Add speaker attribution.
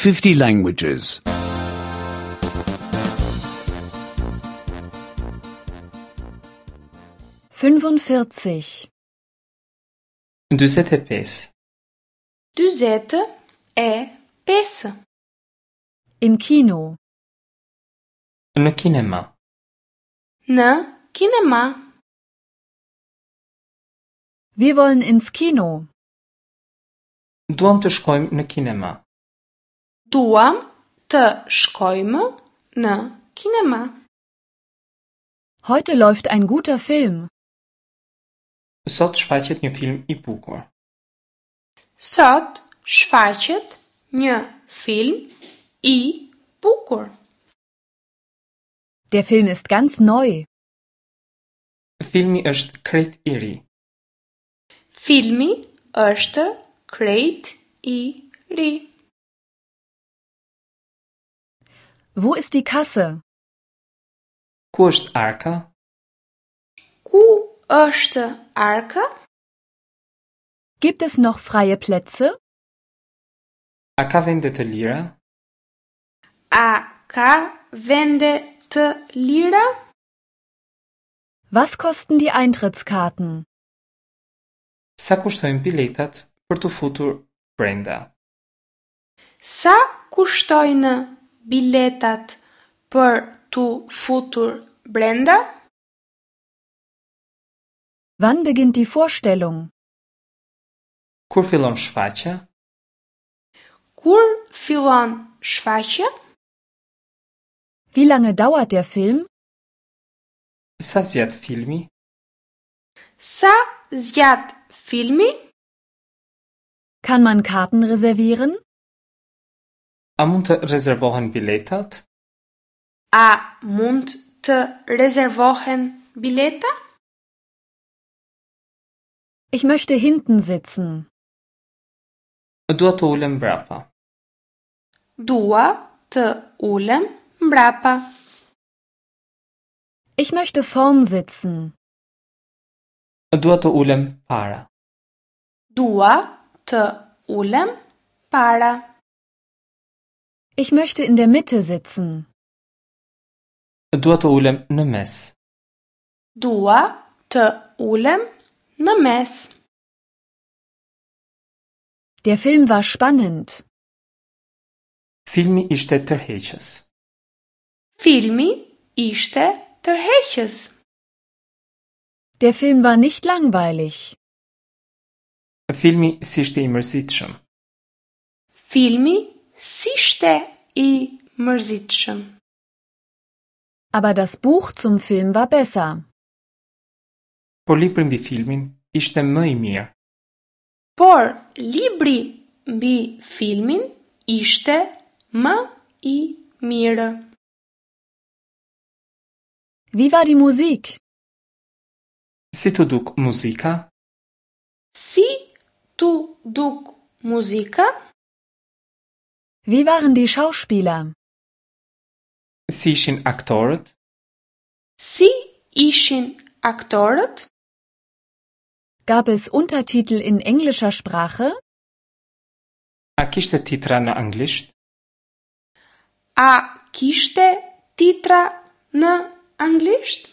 Speaker 1: 50 languages.
Speaker 2: 45.
Speaker 3: 45.
Speaker 4: 45.
Speaker 2: Im Kino.
Speaker 3: Në kinema.
Speaker 4: Në kinema.
Speaker 2: Wir wollen ins Kino.
Speaker 3: Duam të shkojmë në kinema.
Speaker 4: Duam të shkojmë në kinema.
Speaker 2: Heute läuft ein guter Film.
Speaker 3: Sot shfaqet një film i bukur.
Speaker 4: Sot shfaqet një film i bukur.
Speaker 2: Der Film ist ganz neu.
Speaker 3: Filmi është krejt i ri.
Speaker 4: Filmi është krejt i ri.
Speaker 2: Wo ist die Kasse?
Speaker 3: Ku është arka?
Speaker 4: Ku është arka?
Speaker 2: Gibt es noch freie Plätze?
Speaker 3: A ka vende të lira?
Speaker 4: A ka vende të lira?
Speaker 2: Was kosten die Eintrittskarten?
Speaker 3: Sa kushtojnë biletat për t'u futur brenda?
Speaker 4: Sa kushtojnë biletat për t'u futur brenda?
Speaker 2: Wann beginnt die Vorstellung?
Speaker 3: Kur fillon shfaqja?
Speaker 4: Kur fillon shfaqja?
Speaker 2: Wie lange dauert der Film?
Speaker 3: Sa zgjat filmi?
Speaker 4: Sa zgjat filmi?
Speaker 2: Kann man Karten reservieren?
Speaker 3: A mund të rezervohen biletat?
Speaker 4: A mund të rezervohen bileta?
Speaker 2: Ich möchte hinten sitzen.
Speaker 3: Dua të ulem mbrapa.
Speaker 4: Dua të ulem mbrapa.
Speaker 2: Ich möchte vorn sitzen.
Speaker 3: Dua të ulem para.
Speaker 4: Dua të ulem para.
Speaker 2: Ich möchte in der Mitte sitzen.
Speaker 3: Dua të ulem në mes.
Speaker 4: Dua të ulem në mes.
Speaker 2: Der Film war spannend.
Speaker 3: Filmi ishte tërheqës.
Speaker 4: Filmi ishte tërheqës.
Speaker 2: Der Film war nicht langweilig.
Speaker 3: Filmi s'ishte i mërzitshëm.
Speaker 4: Filmi s'ishte i mërzitshëm.
Speaker 2: Aber das Buch zum Film war besser.
Speaker 3: Por libri mbi filmin ishte më i mirë.
Speaker 4: Por libri mbi filmin ishte më i mirë.
Speaker 2: Wie war die Musik?
Speaker 3: Si t'u duk muzika?
Speaker 4: Si t'u duk muzika?
Speaker 2: Wie waren die Schauspieler?
Speaker 3: Si ishin aktorët?
Speaker 4: Si ishin aktorët?
Speaker 2: Gab es Untertitel in englischer Sprache?
Speaker 3: A kishte titra në anglisht?
Speaker 4: A kishte titra në anglisht?